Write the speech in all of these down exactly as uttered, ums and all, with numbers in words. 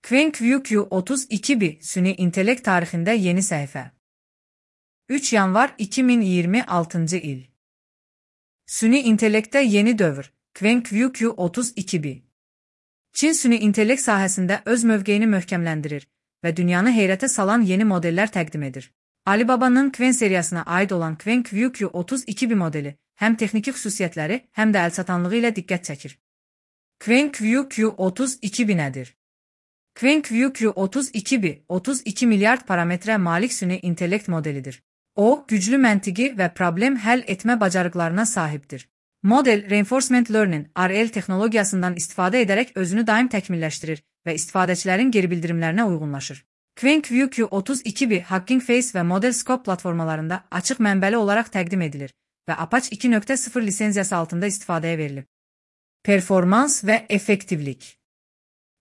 QuenQ Q otuz iki B Süni İntellekt tarixində yeni səhifə. üç yanvar iki min iyirmi altıncı il. Süni intellektdə yeni dövr. QuenQ Q otuz iki B. Çin süni intellekt sahəsində öz mövqeyini möhkəmləndirir və dünyanı heyrətə salan yeni modellər təqdim edir. Alibaba'nın Qwen seriyasına aid olan QuenQ Q otuz iki B modeli həm texniki xüsusiyyətləri, həm də əlçatanlığı ilə diqqət çəkir. QuenQ Q otuz iki B nədir? QuenQ Q otuz iki B otuz iki milyard parametrə malik süni intellekt modelidir. O, güclü məntiqi və problem həll etmə bacarıqlarına sahibdir. Model, Reinforcement Learning R L texnologiyasından istifadə edərək özünü daim təkmilləşdirir və istifadəçilərin geri bildirimlərinə uyğunlaşır. QuenQ Q otuz iki B Hugging Face və Model Scope platformalarında açıq mənbəli olaraq təqdim edilir və Apache iki nöqtə sıfır lisenziyası altında istifadəyə verilib. Performans və effektivlik.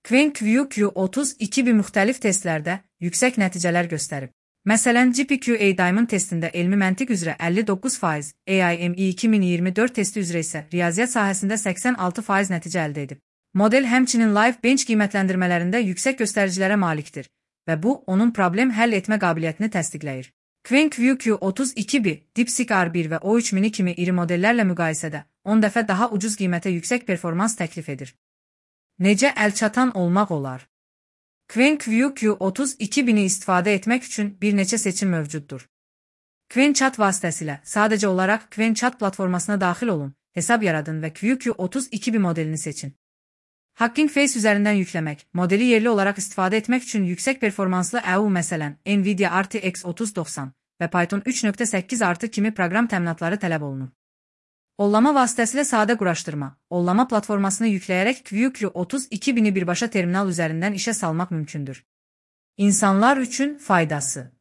QuenQ Q otuz iki B müxtəlif testlərdə yüksək nəticələr göstərib. Məsələn, G P Q A Diamond testində elmi məntiq üzrə əlli doqquz faiz, A I M E iki min iyirmi dörd testi üzrə isə riyaziyyat sahəsində səksən altı faiz nəticə əldə edib. Model həmçinin Live Bench qiymətləndirmələrində yüksək göstəricilərə malikdir və bu, onun problem həll etmə qabiliyyətini təsdiqləyir. QuenQ Q otuz iki B, DeepSeek R bir və O üç mini kimi iri modellərlə müqayisədə on dəfə daha ucuz qiymətə yüksək performans təklif edir. Necə əlçatan olmaq olar? QuenQ Q otuz iki B-ni istifadə etmək üçün bir neçə seçim mövcuddur. QuenChat vasitəsilə sadəcə olaraq QuenChat platformasına daxil olun, hesab yaradın və Q Q otuz iki B modelini seçin. Hugging Face üzərindən yükləmək, modeli yerli olaraq istifadə etmək üçün yüksək performanslı E U məsələn Nvidia R T X otuz doxsan və Python üç nöqtə səkkiz artı kimi proqram təminatları tələb olunur. Ollama vasitəsilə sadə quraşdırma, ollama platformasını yükləyərək Q Q otuz iki B-ni birbaşa terminal üzərindən işə salmaq mümkündür. İnsanlar üçün faydası.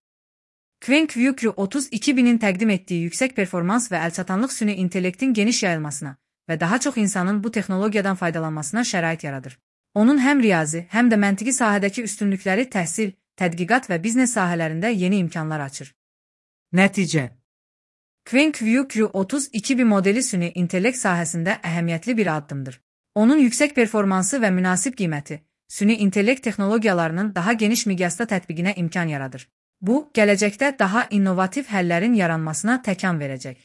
QuenQ Q otuz iki B-nin təqdim etdiyi yüksək performans və əlçatanlıq süni intellektin geniş yayılmasına və daha çox insanın bu texnologiyadan faydalanmasına şərait yaradır. Onun həm riyazi, həm də məntiqi sahədəki üstünlükləri təhsil, tədqiqat və biznes sahələrində yeni imkanlar açır. Nəticə. QuenQ Q otuz iki B modeli süni intellekt sahəsində əhəmiyyətli bir addımdır. Onun yüksək performansı və münasib qiyməti, süni intellekt texnologiyalarının daha geniş miqyasda tətbiqinə imkan yaradır. Bu, gələcəkdə daha innovativ həllərin yaranmasına təkan verəcək.